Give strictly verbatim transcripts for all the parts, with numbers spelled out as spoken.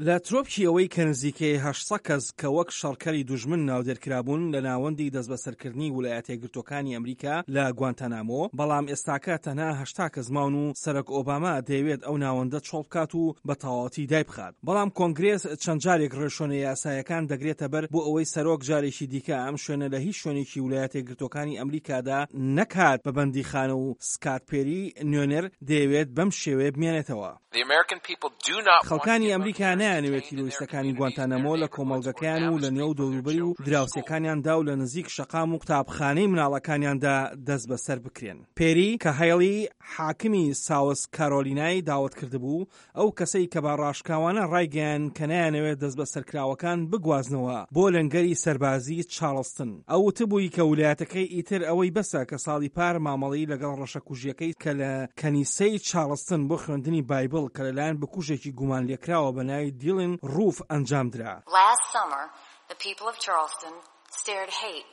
لە ترۆپکی ئەوەی کە نزیکەی هەشت سەد کەس کە وەک شەڕکەری دوژمن ناودێرکرابوون لە ناوەندی دەستبەسەرکردنی ولایەتە یەکگرتووەکانی ئەمریکا لە گوانتانامۆ، بەڵام ئێستاکە تەنها هەشتا کەس ماون و سەرۆک ئۆباما دەیەوێت ئەو ناوەندە چۆڵ بکات و بە تەواوەتی دایبخات. بەڵام کۆنگرێس چەند جارێک ڕێوشوێنە یاسایەکان دەگرێتە بەر بۆ ئەوەی سەرۆک جارێکی دیکە ئەم شوێنە لە هیچ شوێنێکی ولایەتە یەکگرتووەکانی ئەمریکادا نەکات بە بەندیخانە و سکات پێری نوێنەر دەیەوێت بەم شێوەیە بمێنێتەوە. خەڵکانی ئەمریکا نایانەوێت تیرۆریستەکانی گوانتانامۆ لە کۆمەڵگەکەیان و لە نێو دەوروبەری و دراوسێکانیاندا و لە نزیک شەقام و قوتابخانەی مناڵەکانیاندا دەستبەسەر بکرێن. پێری کە هەیڵی حاکمی ساوس کارۆلینای داوەت کردبوو، ئەو کەسەی کە بە ڕاشکاوانە ڕایگەیاند کە نایانەوێت دەستبەسەرکراوەکان بگوازنەوە بۆ لەنگەری سەربازی چارڵستن. ئەو وتبووی کە ولایەتەکەی ئیتر ئەوەی بەسە کە ساڵی پار مامەڵەی لەگەڵ ڕەشەکوژیەکەی کە لە کەنیسەی چارڵستن بۆ خوێندنی بایبڵ کە لەلایەن بکوژێکی گومانلێکراوە بە ناوی دیلن ڕوف ئەنجامدرا. Last summer, the people of Charleston stared hate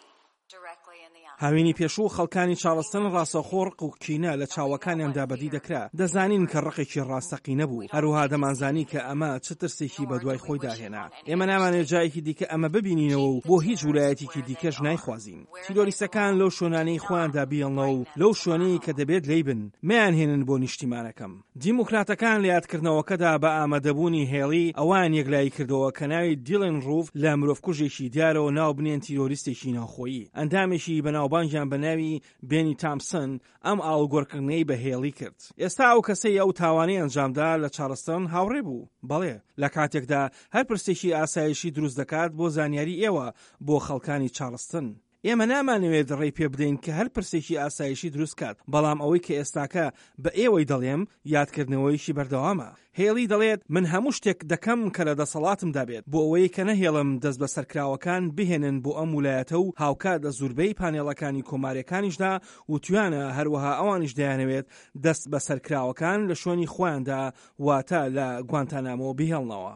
directly in the eye. هاوینی پێشوو خەڵکانی چارڵستن ڕاستەوخۆ ڕق و کینە لە چاوەکانیاندا بەدی دەکرا. دەزانین کە ڕقێکی ڕاستەقینە بوو. هەروەها دەمانزانی کە ئەمە چ ترسێکی بەدوای خۆیدا هێنا. ئێمە نامانەوێت جارێکی دیکە ئەمە ببینینەوە و بۆ هیچ ولایەتێکی دیکەش نایخوازین. تیرۆریستەکان لەو شوێنانەی خۆیاندا بیهێڵنەوە و لەو شوێنەی کە دەبێت لێی بن، مەیانهێنن بۆ نیشتیمانەکەم. دیموکراتەکان لە یادکردنەوەکەدا بە ئامادەبوونی هێڵی ئەوەیان یەکلایی کردەوە کە ناوی دیلن ڕوف لە مرۆڤکوژێکی دیارەوە ناو بنێن تیرۆریستێکی ناوخۆیی. ئەندامێکی بەناوبانگیان بە ناوی بێنی تامسن ئەم ئاڵوگۆڕکردنەی بە هێڵی کرد. ئێستا ئەو کەسەی ئەو تاوانەی ئەنجامدا لە چارڵستن هاوڕێ بوو. بەڵێ، لە کاتێکدا هەر پرسێکی ئاسایشی دروست دەکات بۆ زانیاری ئێوە بۆ خەڵکانی چارڵستن. ئێمە نامانەوێت ڕێی پێ بدەین کە هەر پرسێکی ئاسایشی دروست کات، بەڵام ئەوەی کە ئێستاکە بە ئێوەی دەڵێم یادکردنەوەیەکی بەردەوامە. هێڵی دەڵێت من هەموو شتێک دەکەم کە لە دەسەڵاتمدا بێت بۆ ئەوەی کە نەهێڵم دەستبەسەرکراوەکان بهێنن بۆ ئەم ولایەتە و هاوکات لە زوربەی پانێڵەکانی کۆماریەکانیشدا وتویانە هەروەها ئەوانیش دەیانەوێت دەستبەسەرکراوەکان لە شوێنی خۆیاندا واتە لە گوانتانامۆ بهێڵنەوە.